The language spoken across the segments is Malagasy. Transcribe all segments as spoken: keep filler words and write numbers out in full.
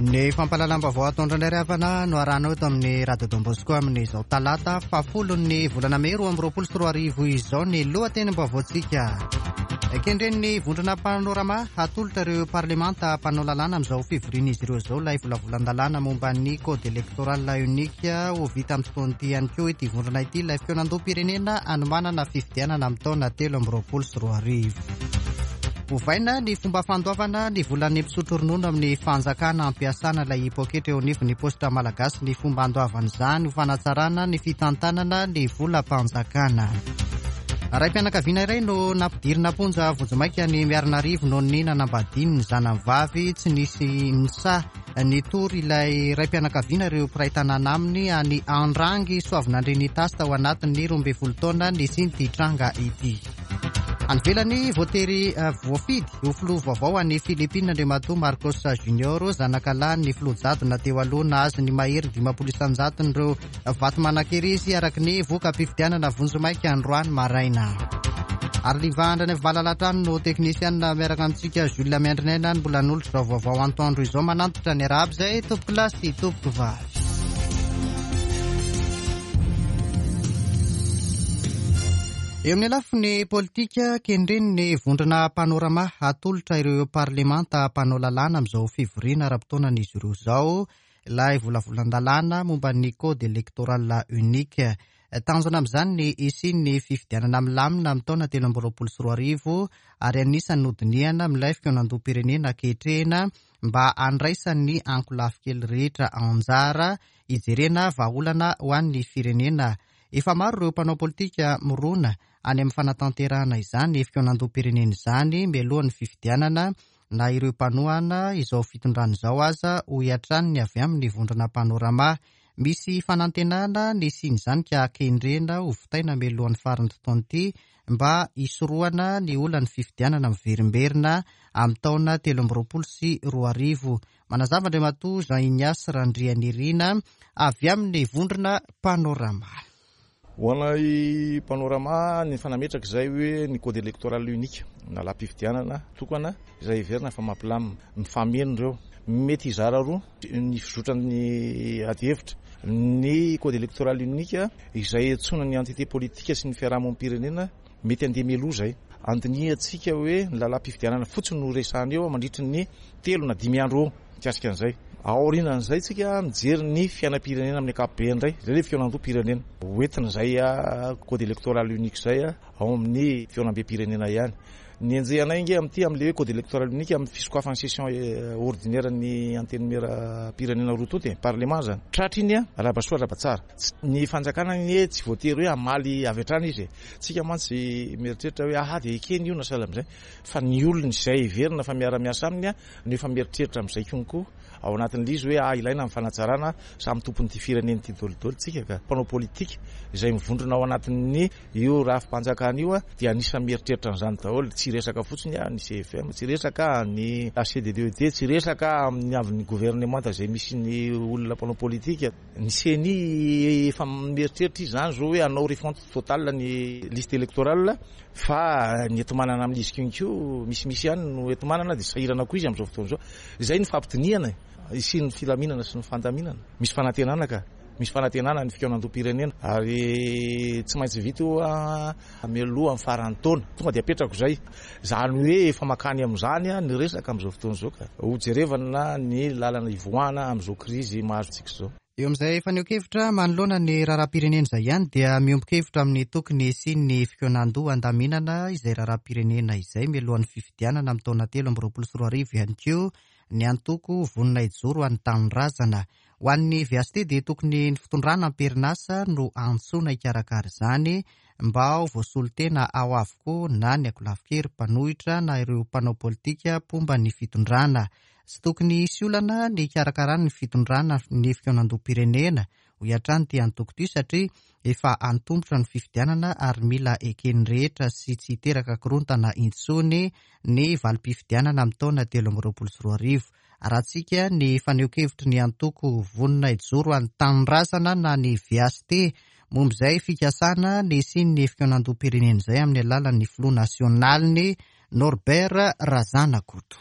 Ny fampahalalam-baovao ataondro indray havana no arahanao eto amin'ny Radio Don Bosco amin'izao talata fahafolon'ny volana mey roa amby roapolo sy roa arivo izao ny lohatenim-baovaontsika. Kendren'ny vondrona Panorama hatolotra ireo parlemanta mpanao lalàna amin'izao fivorian'izy ireo izao ilay volavolan-dalàna momba ny code électoral unique. Ho vita amin'ny fotoana ity ihany koa ity vondrona ity ilay fikaonandoham-pirenena hanomanana fifidianana amin'ny taona telo amby roapolo sy roa arivo. Ovaina ny fomba fandoavana ny volan'ny mpisotro ronono amin'ny fanjakana ampiasana ilay poketra eo anivon'ny posta malagasy ny fomba andoavan'izany ho fanatsarana ny fitantanana ny volam-panjakana. Raim-pianakaviana iray no nampidirina am-ponja vonjimaika ny Miarinarivo noho ny nanambadiany ny zanany vavy. Tsy nisy nisahy nitory ilay raim-pianakaviana ireo mpiray tanàna aminy any Andrangy Soavinandriana-Itasy tao anatin'ny roa ambin'ny folo taona nisian'ity tranga ity. Any ivelany, voatery voafidy ho filoha vaovao any Philippines Andriamatoa Marcos Junior, zanakalahin'ny filoha jadona teo aloha, nahazo ny mahery dimampolo isan-jaton'ireo vato manan-kery izy araka ny voka-pifidianana vonjimaika androany maraina. Ary Liva Andranaivo no teknisianina miaraka amintsika Jules Miandrinaina ny mbola nolotra izao vaovao antoandro izao. Manantitra ny arahaba izay tompoko lahy sy tompoko vavy. Eo amin'ny lafiny politika, kendren'ny vondrona Panorama hatolotra ireo parlemanta mpanao lalàna amin'izao fivoriana ara-potoanan'izy ireo izao ilay volavolan-dalàna momba ny code électoral unique. Tanjona amin'izany ny hisian'ny fifidianana milamina amin'ny taona telo amby roapolo sy roa arivo ary anisan'ny nodinihana amin'ilay fikaonandoham-pirenena ankehitrina mba handraisan'ny ankolafy kely rehetra anjara hijerena vahaolana ho an'ny firenena. Efa maro ireo mpanao politika mirona any amin'ny fanatanterahana izany fikaonandoham-pirenena izany mialohan'ny fifidianana na ireo mpanohana izao fitondrana izao aza, hoy hatrany ny avy amin'ny vondrona Panorama. Misy fanantenana ny hisian'izany ka kendrena ho vitaina mialohan'ny faran'ny taona ity mba hisorohana ny olan'ny fifidianana miverimberina amin'ny taona telo amby roapolo sy roa arivo. Manazava Andriamatoa Jean Ignace Randrianirina avy amin'ny vondrona Panorama. Ho anay Panorama, ny fanametraka izay hoe ny code électoral unique na lalàm-pifidianana tokana izay heverina fa mampilamina, mifameno ireo. Mety hizara roa ny fizotran'ny adihevitra. Ny code électoral unique izay antsoina ny entité politique sy ny fiarahamonim-pirenena mety handeha mialoha izay. Andinihantsika hoe ny lalàm-pifidianana fotsiny no resahana eo mandritry ny telo na dimy andro eo mikasika an'izay. Aorianan'izay tsika mijery ny fiainam-pirenena amin'ny ankapobeny indray, izay ilay fikaonandoham-pirenena. Hoentina izay code électoral unique izay ao amin'ny fihaonambem-pirenena ihany. Ny enjehanay nge amin'ity amin'ilay hoe code électoral unique amin'ny fisokafan'ny session ordinaire ny antenimieram-pirenena roa tonta e, parlement zany. Tratra iny arahaba soa arahaba tsara. Ny fanjakana anie tsy voatery hoe hamaly avy hatrany izy e. Tsika mantsy mieritreritra hoe aha dia ekeny io na sahala amin'izay, fa ny olona izay heverina fa miara-miasa aminy no efa mieritreritra amin'izay konko ao anatin'ilay izy hoe ah ilaina amin'ny fanatsarana samy tompon'ity firenena ity daholo tsika ka. Mpanao politika izay mivondrona ao anatin'ny io rafi-panjakana io dia anisan'ny mieritreritra an'izany daholo. Tsy resaka fotsiny ny C F M, tsy resaka ny H C D D E T, tsy resaka amin'ny avin'ny gouvernemanta izay misy ny olona mpanao politika. Ny C N I efa mieritreritra izy izany zao hoe hanao refonte totale ny liste électorale, fa ny enti-manana amin'izy konko misimisy ihany no enti-manana dia sahirana koa izy amin'izao fotoana izao. Izay ny fampidinihana e, hisian'ny filaminana sy ny fandaminana. Misy fanantenana ka, misy fanantenana ny fikaonandoham-pirenena ary tsy maintsy vita io mialoha amin'ny faran'ny taona. Tonga dia apetrako izay. Izany hoe efa makany amin'izany ny resaka amin'izao fotoana izao ka. Ho jerevana ny lalana ivoahana amin'izao krizy mahazo antsika izao. Eo amin'izay fanehoan-kevitra manoloana ny raharaham-pirenena izay ihany dia miombon-kevitra amin'ny tokony hisian'ny fikaonandoha andaminana izay raharaham-pirenena izay mialohan'ny fifidianana amin'ny taona telo amby roapolo sy roa arivo ihany koa ny antoko vonona hijoro ho an'ny tanindrazana. Ho an'ny V H T dia tokony ny fitondrana am-perinasa no antsoina hikarakara izany mba ho voasolo tena ao avokoa na ny ankolafy-kery mpanohitra na ireo mpanao politika mpomba ny fitondrana. Tsy tokony hisy olana ny hikarakarany ny fitondrana ny fikaonandoham-pirenena, hoy hatrany ity antoko ity, satria efa antomotra ny fifidianana ary mila eken'ny rehetra sy tsy hiteraka korontana intsony ny valim-pifidianana amin'ny taona telo amby roapolo sy roa arivo. Arahantsika ny fanehoan-kevitry ny antoko vonona hijoro ho an'ny tanindrazana na ny V H T momba izay fikasana ny hisian'ny fikaonandoham-pirenena izay amin'ny alalan'ny filoha nasionaliny Norbert Razanakoto.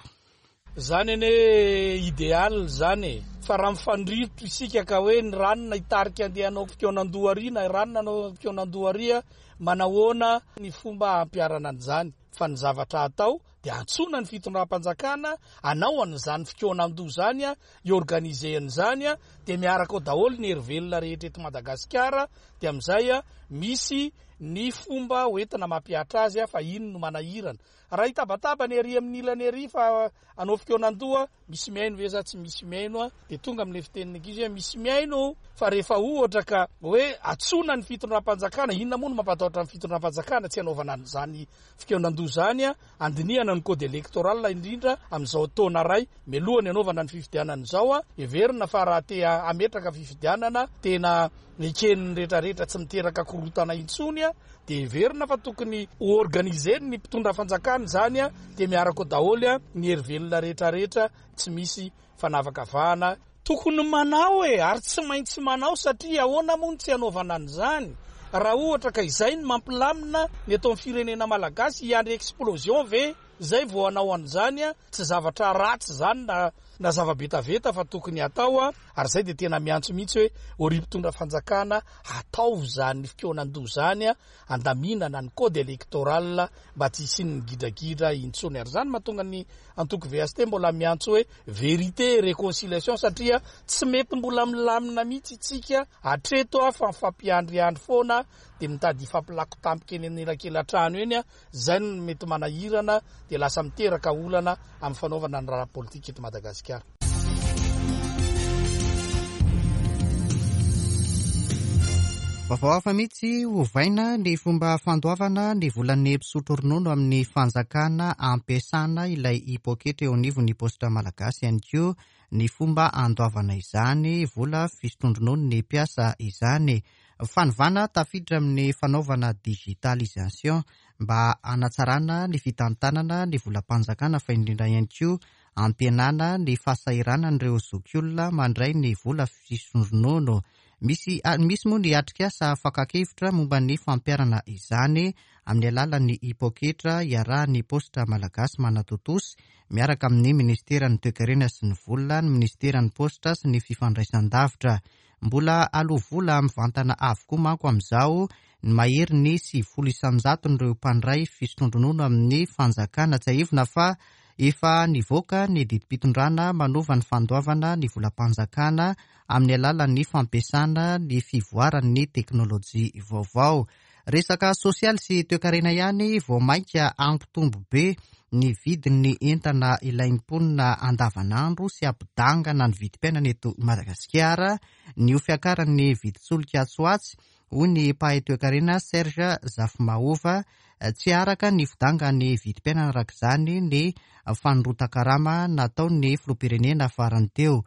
Zany anie idéal zany e, fa raha mifandrirotra isika ka hoe ny ranona hitarika andeha hanao fikaonandoha ary na ranona hanao fikaonandoha ary, manahoana ny fomba hampiharana an'izany? Fa ny zavatra atao dia antsoina ny fitondram-panjakana hanao an'izany fikaonandoha zany, hi-organiser an'izany, dia miaraka ao daholo ny herivelona rehetra eto Madagasikara, dia amin'izay misy ny fomba hoentina mampihatra azy, fa ino no manahirana? Raha hitabataba ny ery amin'ny ilany ery fa hanao fikaonandoha, misy mihaino ve sa tsy misy mihaino? Dia tonga amin'ilay fitenin'ny ankizy hoe misy mihaino, fa rehefa ohatra ka hoe antsoina ny fitondram-panjakana, inona moa no mampatahotra ny fitondram-panjakana tsy hanaovana an'izany fikaonandoha zany, andinihana ny code électoral indrindra amin'izao taona ray mialohan'ny hanaovana ny fifidianana izao. Heverina fa raha te hametraka fifidianana tena eken'ny rehetrarehetra tsy miteraka korontana intsony, dia heverina fa tokony ho organiser ny mpitondra fanjakana zany, dia miaraka ao daholo ny herivelona rehetrarehetra, tsy misy fanavakavahana. Tokony manao e, ary tsy maintsy manao, satria ahoana moa no tsy hanaovana an'izany? Raha ohatra ka izay no mampilamina ny atao amin'ny firenena malagasy, hiandry explosion ve zay vao hanao an'izany? Tsy zavatra ratsy zany na na zava-betaveta fa tokony atao, ary zay dia tena miantso mihitsy hoe ry mpitondra fanjakana, atao zany fikaonandoha zany, andaminana ny code électoral mba tsy hisian'ny gidragidra intsony. Ary zany mahatonga ny antoko V S T mbola miantso hoe vérité et réconciliation, satria tsy mety mbola milamina mihitsy isika hatreto fa mifampiandriandry foana, dia mitady hifampilako tampoka eny anelakelan-trano eny, zay no mety manahirana, dia lasa miteraka olana amin'ny fanaovana ny raharaha politika eto Madagasikara. Vaovao hafa mihitsy, ovaina ny fomba fandoavana ny volan'ny mpisotro ronono amin'ny fanjakana ampiasana ilay hipoketra eo anivon'ny paositra malagasy, ihany koa ny fomba andoavana izany vola fisotroan-dronono ny mpiasa izany. Fanovana tafiditra amin'ny fanaovana digitalisation mba hanatsarana ny fitantanana ny volam-panjakana, fa indrindra ihany koa ampihenana ny fahasahiranan'ireo zokiolona mandray ny vola fisotroan-dronono. Misy, misy moa ny atrikasa fakan-kevitra momba ny fampiharana izany amin'ny alalan'ny hipoketra iarahan'ny paositra malagasy manatontosa miaraka amin'ny ministeran'ny toekarena sy ny vola, ny ministeran'ny paositra sy ny fifandraisan-davitra. Mbola aloha vola mivantana avokoa manko amin'izao ny mahery ny sivifolo isan-jaton'ireo mpandray fisotroan-dronono amin'ny fanjakana. Tsiahivina fa efa nivoaka ny didim-pitondrana manova ny fandoavana ny volam-panjakana amin'ny alalan'ny fampiasana ny fivoaran'ny teknôlôjia vaovao. Resaka sosialy sy toekarena ihany, vao mainka hampitombo be ny vidin'ny entana ilain'ny mponina andavanandro sy hampidangana ny vidim-piainana eto Madagasikara ny ho fiakaran'ny vidin-tsolika atsy ho atsy, hoy ny mpahay toekarena Serge Zafimahova. Tsy araka ny fidangan'ny vidim-piainana araka izany ny fanondrotan-karama nataon'ny filoham-pirenena farany teo.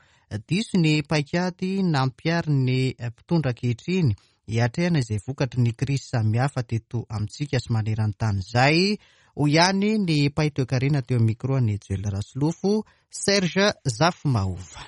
Diso ny paikady nampiharin'ny mpitondra ankehitriny hiatrehana izay vokatry ny krizy samihafa teto amintsika sy maneran-tany izay, hoy ihany ny mpahay toekarena teo amin'ny micro an'i Joel Rasolofo, Serge Zafimahova.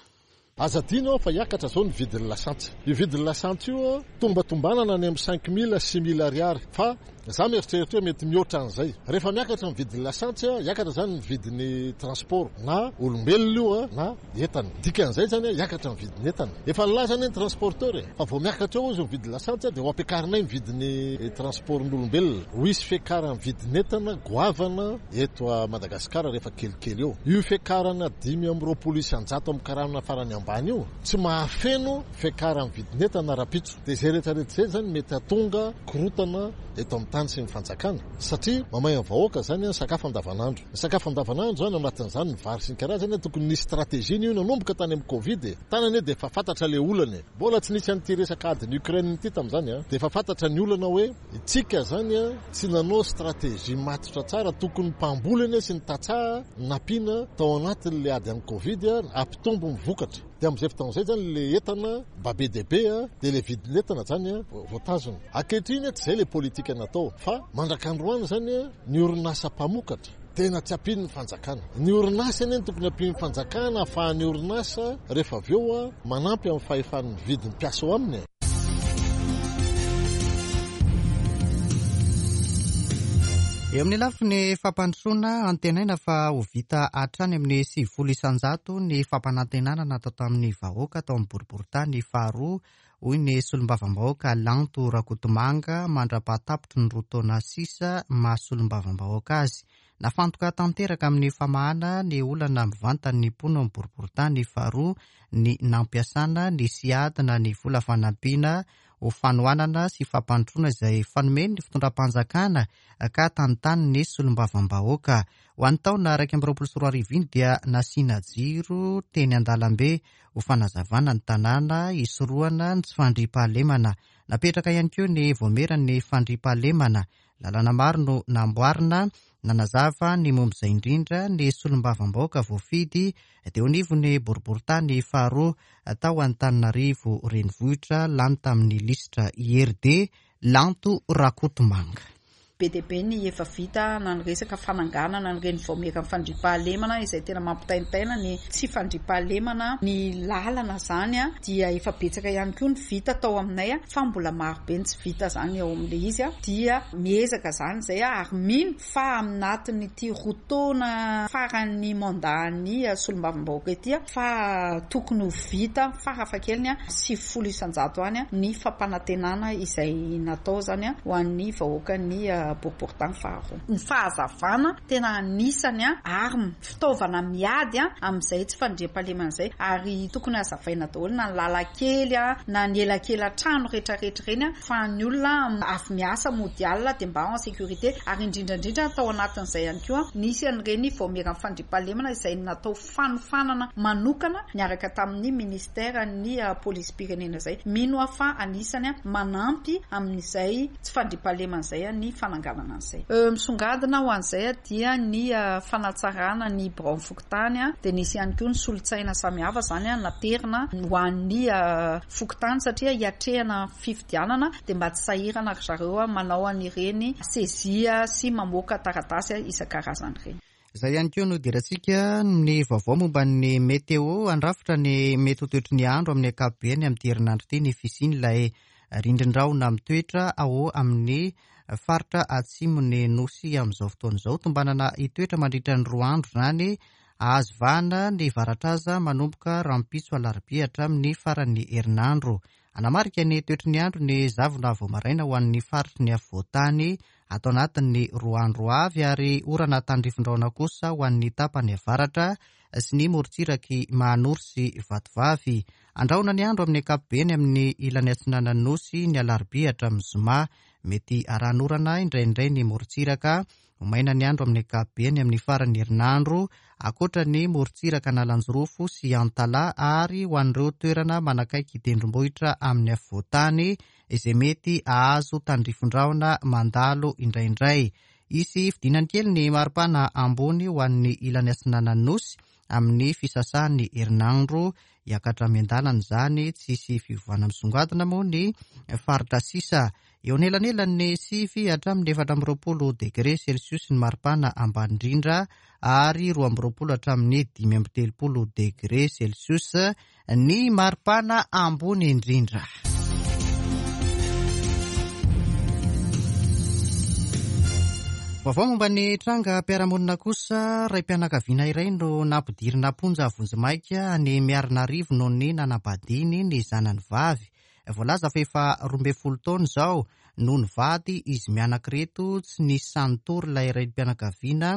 Aza adino fa hiakatra zao ny vidin'ny lasantsy. Io vidin'ny lasantsy io tombatombanana any amin'ny cinq mille six mille ariary, fa za mieritreritra hoe mety mihoatra an'izay. Rehefa miakatra ny vidin'ny lasantsy, hiakatra zany ny vidin'ny transport na olombelona io na entana. Dikan'izay zany hiakatra ny vidin'ny entana. Efa nilaza ny transporteur e, fa vao miakatra eo izy ny vidin'ny lasantsy dia ho ampiakarinay ny vidin'ny transportn'olombelona. Ho hisy fiakaran'ny vidin'ny entana goavana eto Madagasikara rehefa kelikely eo. Io fiakarana dimy amby roapolo isan-jato amin'ny karama farany ambany io tsy mahafeno fiakaran'ny vidin'ny entana rahampitso. Dia izay rehetrarehetra izay zany mety hahatonga korontana eto amin'ny tany sy ny fanjakana, satria mamay amin'ny vahoaka zany ny sakafo andavanandro. Ny sakafo andavanandro zany anatin'izany ny vary sy ny karazany, tokony nisy stratégie io nanomboka tany amin'ny Covid e. Tany anie dia efa fantatra ilay olana e. Mbola tsy nisy an'ity resaka adin'i Ukraine ity tamin'izany a. Dia efa fantatra ny olana hoe itsika zany a tsy nanao stratégie matotra tsara, tokony mpamboly anie sy ny tantsaha nampiana tao anatin'ilay ady amin'ny Covid a, hampitombo ny vokatra. Dia amin'izay fotoana izay zany ilay entana mba be dia be a, dia ilay vidin'ny entana zany a voatazona. Ankehitriny tsy izay ilay politika natao, fa mandrak'androany zany a ny orinasa mpamokatra tena tsy ampian'ny fanjakana. Ny orinasa anie no tokony ampian'ny fanjakana, ahafahan'ny orinasa rehefa avy eo a manampy amin'ny fahefan'ny vidin'ny mpiasa ao aminy. Eo amin'ny lafiny fampandrosoana, antenaina fa ho vita hatrany amin'ny sivifolo isanjato ny fampanantenana natao tamin'ny vahoaka tao amin'ny boriborintany faharoa, hoy ny solombavambahoaka Lanto Rakotomanga mandra-pahatapitry ny roa taona sisa maha solombavambahoaka azy. Nafantoka tanteraka amin'ny famahana ny olana mivantan'ny mponina amin'ny boriborintany faharoa ny nampiasana ny SIAD na ny vola fanampiana ho fanohanana sy fampandrosoana izay fanomeny ny fitondram-panjakana ka tantany ny solombavambahoaka. Ho an'ny taona iraika amby roapolo sy roa arivo iny dia nasiana jiro teny an-dalambe ho fanazavana ny tanàna hisorohana ny tsy fandriampahalemana. Napetraka ihany koa ny vaomieran'ny fandriampahalemana. Lalana maro no namboarina. Nanazava ny momba izay indrindra ny solombavambahoaka voafidy teo anivon'ny boriborintany faharoa tao Antananarivo renivohitra, lany tamin'ny lisitra I R D, Lanto Rakotomanga. Be dia be ny efa vita na ny resaka fananganana ny reny vaomieran'ny fandriampahalemana izay tena mampitaintaina ny tsy fandriampahalemana. Ny lalana zany a dia efa betsaka ihany koa ny vita tao aminay a, fa mbola maro be ny tsy vita zany ao amin'ilay izy a, dia miezaka zany izay a, ary mino fa aminatin'ity roa taona faran'ny mandat-n'ny solombavambahoaka ity a, fa tokony ho vita farafahakeliny a sivifolo isanjato any a ny fampanantenana izay natao zany a ho an'ny vahoakan'ny boriborintany faharoa. Ny fahazavana tena anisany a ary fitaovana miady a amin'izay tsy fandriampahalemana izay, ary tokony hazavaina daholo na ny lalan-kely a na ny elakela-trano rehetrarehetra ireny a, fa ny olona avy miasa mody alina dia mba en sécurité. Ary indrindrandrindra tao anatin'izay ihany koa nisy an'ireny vaomieran'ny fandriampahalemana izay natao fanofanana manokana niaraka tamin'ny ministeran'ny polisim-pirenena izay. Mino aho fa anisany a manampy amin'izay tsy fandriampahalemana izay a ny fananganana an'izay. Misongadina ho an'izay dia ny fanatsarana ny biraon'ny fokontany a, dia nisy ihany koa ny solotsaina samihafa zany a naterina ho an'ny fokontany satria hiatrehana fifidianana dia mba tsy sahirana ry zareo a manao an'ireny sezia sy mamoaka taratasy isan-karazany ireny. Izay ihany koa no idirantsika ny vaovao momba ny météo. Andrafitra ny mety ho toetry ny andro amin'ny ankapobeny amin'ity herinandro ity ny fisian'ilay rindrin-drahona mitoetra ao amin'ny faritra atsimon'ny nosy amin'izao fotoana izao. Tombanana hitoetra mandritra ny roa andro izany, ahazo vahana ny varatraza manomboka rahampitso alarobia hatramin'ny faran'ny herinandro. Anamarika ny toetry ny andro ny zavona vao maraina ho an'ny faritry ny afovoantany ato anatin'ny roa andro avy, ary orana tandrifin-drahona kosa ho an'ny tapany avaratra sy ny morontsiraky Mahanoro sy Vatovavy. Andrahona ny andro amin'ny ankapobeny amin'ny ilany atsinanan'ny nosy ny alarobia hatramin'ny zoma. Mety aranorana indraindray ny morontsiraka. Ho maina ny andro amin'ny ankapobeny amin'ny faran'ny herinandro, ankoatra ny morontsiraka Analanjirofo sy Antalaha, ary ho an'ireo toerana manakaiky tendrombohitra amin'ny afovoantany izay mety hahazo tandrifin-drahona mandalo indraindray. Hisy fidinany kely ny maripana ambony ho an'ny ilany atsinanan'ny nosy amin'ny fisasan'ny herinandro. Hiakatra miandalana izany, tsy hisy fiovana misongadina moa ny faritra sisa. Eo anelanelan'ny sivy hatramin'ny efatra amby roapolo degré celsius ny maripana ambany indrindra, ary roa amby roapolo hatramin'ny dimy amby telopolo degré celsius ny maripana ambony indrindra. Vaovao momba ny tranga mpiara-monina kosa, ray-pianakaviana iray no nampidirina am-ponja vonjimaika any Miarinarivo noho ny nanambadiany ny zanany vavy. Voalaza fa efa roa ambin'ny folo taona izao no nivady izy mianak'ireto, tsy nisy sahy nitory ilay raim-pianakaviana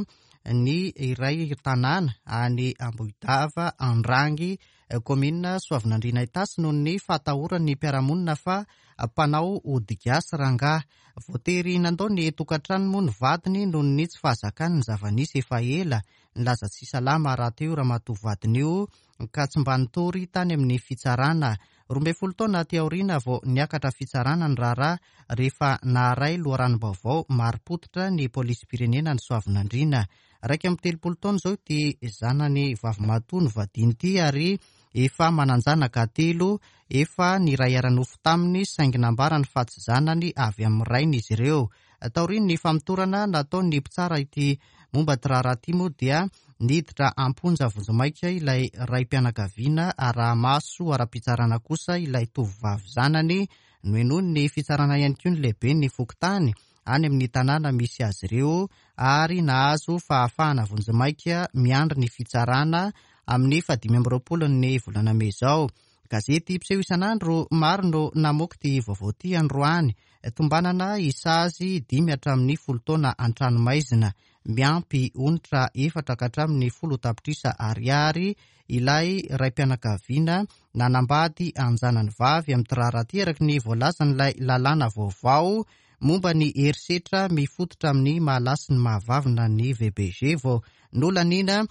ny iray tanàna any Ambohidava Andrangy, kaominina Soavinandriana Itasy, noho ny fahatahoran'ny mpiara-monina fa mpanao ody gasy rangahy. Voatery nandao ny tokantrano moa ny vadiny noho ny tsy fahazakany ny zava-nisy efa ela. Nilaza tsy salama rahateo ramatoa vadiny io ka tsy mba nitory tany amin'ny fitsarana. Roa ambin'ny folo taona aty aoriana vao niakatra fitsarana ny raharaha rehefa naharay loharanom-baovao marim-pototra ny polisim-pirenena ny Soavinandriana. Iraika amby telopolo taona izao ity zanany vavimatoa novadiany ity, ary efa manan-janaka telo, efa niray ara-nofo taminy saingy nambarany fa tsy zanany avy amin'ny rainy izy ireo. Taorian'ny famotorana nataon'ny mpitsara ity momba ty raharaha ity moa dia niditra am-ponja vonjimaika ilay raim-pianakaviana, araha-maso ara-pitsarana kosa ilay tovovavy zanany. Nohenoin'ny fitsarana ihany koa ny lehiben'ny fokontany any amin'ny tanàna misy azy ireo ary nahazo fahafahana vonjimaika miandry ny fitsarana amin'ny fahadimy amby roapolo ny volana mey izao. Gazety mpiseho isan'andro maro no namoaka ity vaovao ity androany. Tombanana hisazy dimy hatramin'ny folo taona an-tranomaizina miampy onitra efatra ka hatramin'ny folo tapitrisa ariary ilay raim-pianakaviana nanambady anjanany vavy amin'ny raharaha ity araka ny voalazan'ilay lalàna vaovao momba ny herisetra mifototra amin'ny mahalahy sy ny mahavavy na ny V B G vao nolaniana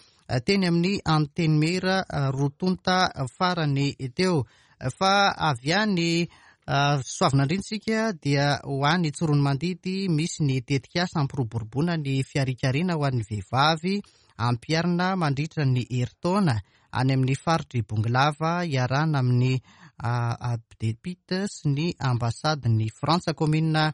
teny amin'ny Antenimiera roa tonta farany teo. Fa avy any Soavinandriantsika dia ho any Tsiroanomandidy misy ny tetikasa hampiroboroboana ny fiarikarena ho an'ny vehivavy ampiharina mandritra ny herintaona any amin'ny faritry Bongolava iarahana amin'ny A P D P I T sy ny ambasadin'ny Frantsa. Kaominina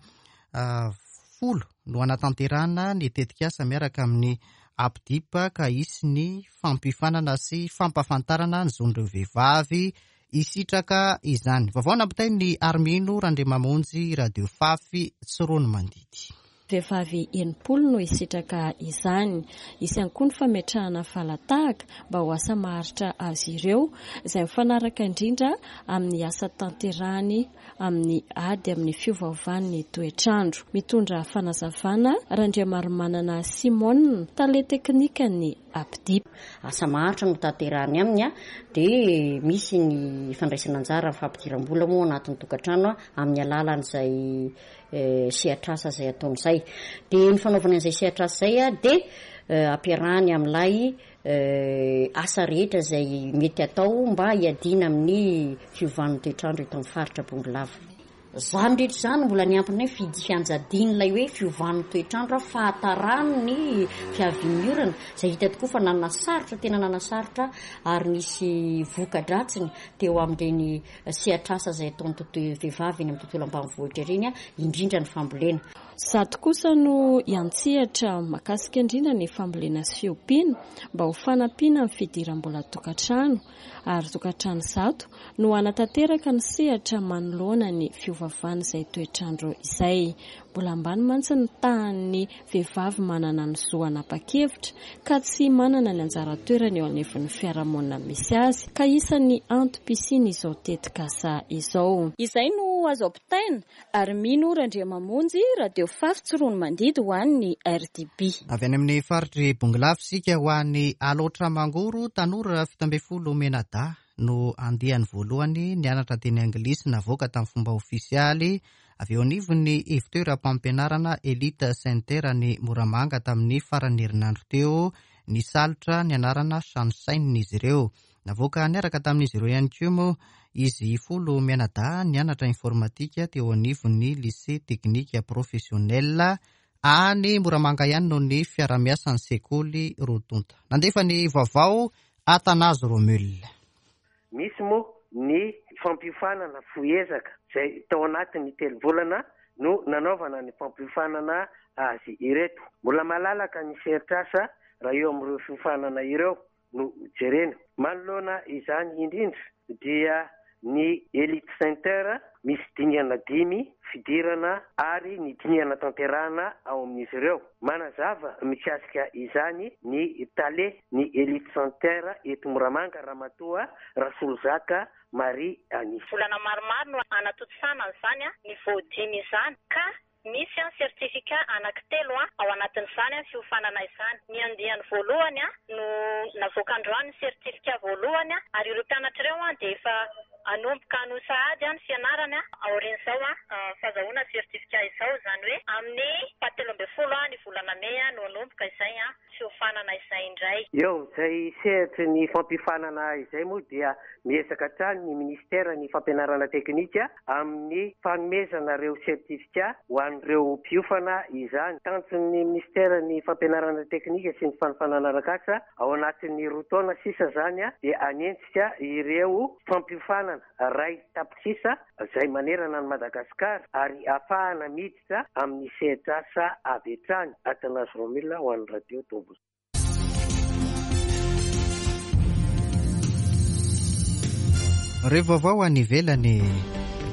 folo no hanatanterahana ny tetikasa miaraka amin'ny A P D I P ka hisy ny fampiofanana sy fampahafantarana ny zon'ireo vehivavy hisitraka izany. Vaovao nampitain'ny Armino Randriamamonjy, Radio Fafy, Tsiroanomandidy. Vehivavy enimpolo no hisitraka izany. Hisy ihany koa ny fametrahana falatahaka mba ho asa maharitra azy ireo, izay mifanaraka indrindra amin'ny asa tanterahany amin'ny ady amin'ny fiovaovan'ny toetrandro. Mitondra fanazavana Randriamaromanana Simone, tale teknikan'ny A P D I P. Asa maharitra no tanterahany aminy a, dia misy ny fandraisana anjara amin'ny fampidiram-bola moa anatin'ny tokantrano a, amin'ny alalan'izay, eh, sehatr'asa izay ataon'izay. Dia ny fanaovana an'izay sehatr'asa izay a, dia, eh, ampiarahany amin'ilay, eh, asa rehetra izay mety atao mba hiadiana amin'ny fiovan'ny toetrandro eto amin'ny faritra Bongolava. Izany rehetra izany mbola niampina hoe fidy fianjadian'ilay hoe fiovan'ny toetrandro, fahatarany fiavian'ny orana, izay hita tokoa fa nanasarotra, tena nanasarotra ary nisy voka-dratsiny teo amin'ireny sehatr'asa izay ataon'ny tontolo vehivavy eny amin'ny tontolo ambanivohitra ireny, indrindra ny fambolena. Zato kosa no hiantsehatra mahakasika indrindra ny fambolena sy fiompiana mba ho fanampiana ny fidiram-bola tokantrano, ary tokantrano zato no hanatanteraka ny sehatra manoloana ny fiovavan'izay toetrandro izay. Mbola ambany mantsy ny tahan'ny vehivavy manana ny zo hanapa-kevitra ka tsy manana ny anjara toerany eo anivon'ny fiarahamonina misy azy, ka isan'ny antom-pisiana izao tetikasa izao. Izay no azo ampitaina ary mino Randriamamonjy, Radio Fafy Tsiroanomandidy ho an'ny R D B. Avy any amin'ny faritry Bongolava isika ho an'ny Alaotra Mangoro, tanora fito ambin'ny folo mianadahy no andiany voalohany nianatra teny anglisy navoaka tamin'ny fomba ofisialy avy eo anivon'ny ivontoeram-pampianarana Elite Center ny Moramanga tamin'ny faran'ny herinandro teo. Nisalotra ny anarana Sunshine izy ireo. Navoaka niaraka tamin'izy ireo ihany koa moa izy folo mianadahy nianatra informatika teo anivon'ny lycée technique professionnel any Moramanga ihany noho ny fiarahamiasan'ny sekoly roa tonta. Nandefa ny vaovao Athanase Romule. Misy moa ny fampiofanana fohezaka izay tao anatin'ny telo volana no nanaovana ny fampiofanana azy ireto. Mbola malalaka ny sehatr'asa raha eo amin'ireo fiofanana ireo no jerena. Manoloana izany indrindra dia ny Elite Center misy dingana dimy fidirana ary ny dingana tanterahana ao amin'izy ireo. Manazava mikasika izany ny tale ny Elite Center eto Moramanga, Ramatoa Rasolozaka Marie Annie. Volana maromaro no anatontosana an'izany a, niveau dimy izany, ka misy a certificat anankitelo a ao anatin'izany a fiofanana izany. Ny andiany voalohany a no navoaka androany ny certificat voalohany a, ary ireo mpianatra ireo a dia efa hanomboka hanohy sahady a ny fianarany a aorian'izao a fahazahoana certificat izao, izany hoe amin'ny fahatelo ambin'ny folo a ny volana mey a no hanomboka izay a fiofanana izay indray. Eo izay sehatry ny fampiofanana izay moa dia miezaka hatrany ny ministera ny fampianarana teknika amin'ny fanomezana ireo certificat ho an'ireo mpiofana izany. Tanjon'ny ministera ny fampianarana teknika sy ny fanofanana arak'asa ao anatin'ny roa taona sisa izany a dia hanenjika ireo fampiofanana iray tapitrisa izay manerana an'i Madagasikara ary ahafahana miditra amin'ny sehatr'asa avy hatrany. Athanase Romule ho an'ny Radio Tombo. Ireo vaovao any ivelany.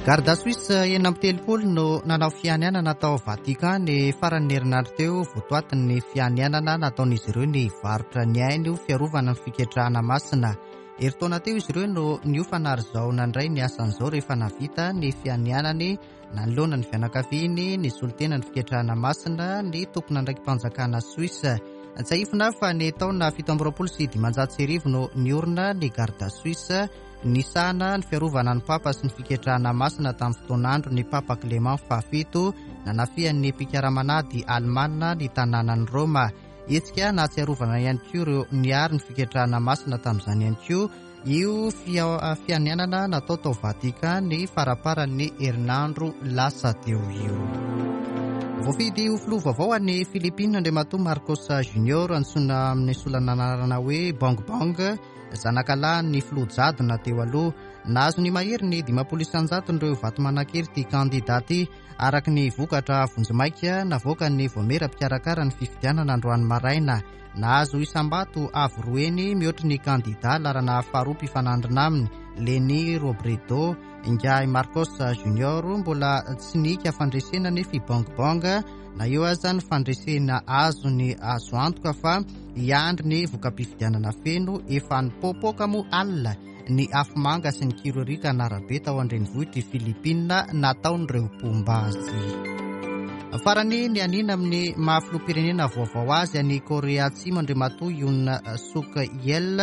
Garda Suisse enina amby telopolo no nanao fianianana tao Vatican ny faran'ny herinandro teo. Votoatin'ny fianianana nataon'izy ireo ny varotra ny ainy ho fiarovana ny fiketrahana masina. Herintaona teo izy ireo no niofana ary izao nandray ny asan'izao rehefa navita ny fianianany nanoloana ny fianakaviany, ny solontena ny fiketrahana masina, ny tompon'andraiki-panjakana Suisse. Tsiahivina fa ny taona fito amby roapolo sy dimanjato sy arivo no niorina ny Garda Suisse nisahana ny fiarovana ny papa sy ny fiketrahana masina tamin'ny fotoan'andro ny papa Clément fahafito nanafihan'ny mpikaramanady alemana ny tanànan'i Roma. Hetsika nahatsiarovana ihany koa ireo niaro ny fiketrahana masina tamin'izany ihany koa io fianianana natao tao Vatican ny faraparan'ny herinandro lasa teo io. Voafidy ho filoha vaovao any Philippines Andriamatoa Marcos Junior, antsoina amin'ny solon'anarana hoe Bongbong, zanakalahin'ny filoha jadona teo aloha. Nahazo ny mahery ny dimampolo isan-jaton'ireo vato manan-kery ity kandida ity, araka ny vokatra vonjimaika navoakan'ny vaomiera mpikarakara ny fifidianana androany maraina. Nahazo isam-bato avo roa heny mihoatry ny kandida laharana faharoa mpifanandrina aminy, Leni Robredo. Ingahy Marcos Junior mbola tsy nihika fandresena nefa i Bongbong, na eo aza ny fandresena azony azo antoka fa hiandry ny voka-pifidianana feno. Efa nipoapoaka moa alina ny afomanga sy ny kirorika an'arabe tao an-drenivohitr'i Philippines nataon'ireo mpomba azy. Farany ny anina amin'ny maha filoham-pirenena vaovao azy any Korea Atsimo Andriamatoa Yoon Suk Yeol.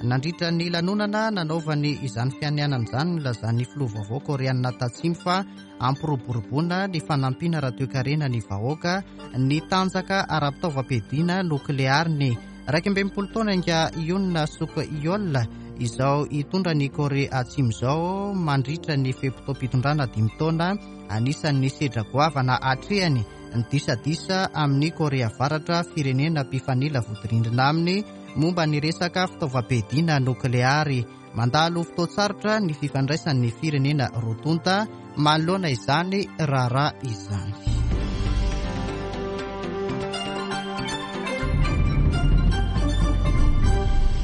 Nandritra ny lanonana nanaovany izany fianianana izany, nilazan'ny filoha vaovao koreanina tatsimo fa ampiroboroboana ny fanampiana ara-toekarena ny vahoaka, ny tanjaka ara-pitaovam-piadiana nokleariny. Iraika amby enimpolo taona inga Yoon Suk Yeol izao hitondra ny Korea Atsimo izao mandritra ny fe-potoam-pitondrana dimy taona. Anisan'ny sedra goavana atrehany ny disadisa amin'ny Korea Avaratra, firenena mpifanila vodirindrina aminy momba ny resaka fitaovam-piadiana nokleary. Mandalo fotoan-tsarotra ny fifandraisan'ny firenena roa tonta manoloana izany raharaha izany.